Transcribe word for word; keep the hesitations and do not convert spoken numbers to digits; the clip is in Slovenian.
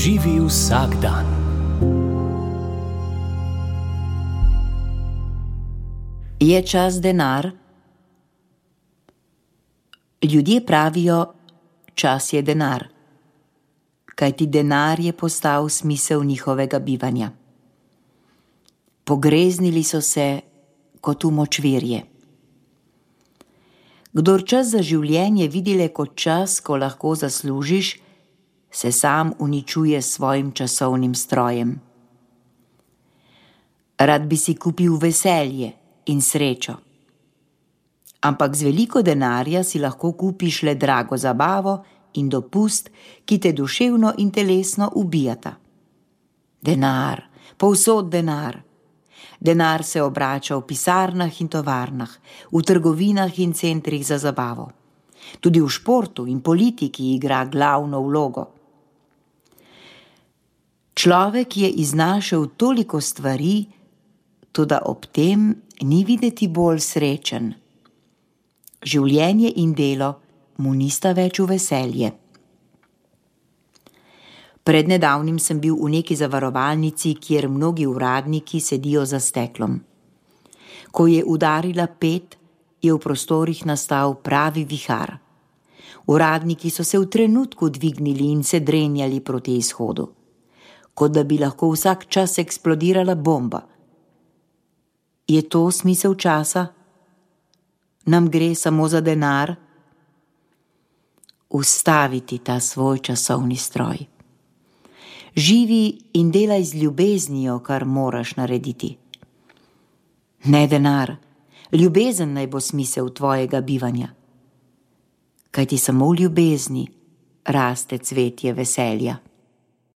Živi vsak dan. Je čas denar? Ljudje pravijo, čas je denar, kajti denar je postal smisel njihovega bivanja. Pogreznili so se kot v močvirje. Kdor čas za življenje vidi le kot čas, ko lahko zaslužiš, se sam uničuje s svojim časovnim strojem. Rad bi si kupil veselje in srečo, ampak z veliko denarja si lahko kupiš le drago zabavo in dopust, ki te duševno in telesno ubijata. Denar, povsod denar. Denar se obrača v pisarnah in tovarnah, v trgovinah in centrih za zabavo. Tudi v športu in politiki igra glavno vlogo. Človek je iznašel toliko stvari, toda ob tem ni videti bolj srečen. Življenje in delo mu nista več v veselje. Pred nedavnim sem bil v neki zavarovalnici, kjer mnogi uradniki sedijo za steklom. Ko je udarila pet, je v prostorih nastal pravi vihar. Uradniki so se v trenutku dvignili in se drenjali proti izhodu, kot da bi lahko vsak čas eksplodirala bomba. Je to smisel časa? Nam gre samo za denar? Ustaviti ta svoj časovni stroj. Živi in delaj z ljubeznijo, kar moraš narediti. Ne denar, ljubezen naj bo smisel tvojega bivanja. Kajti samo v ljubezni raste cvetje veselja.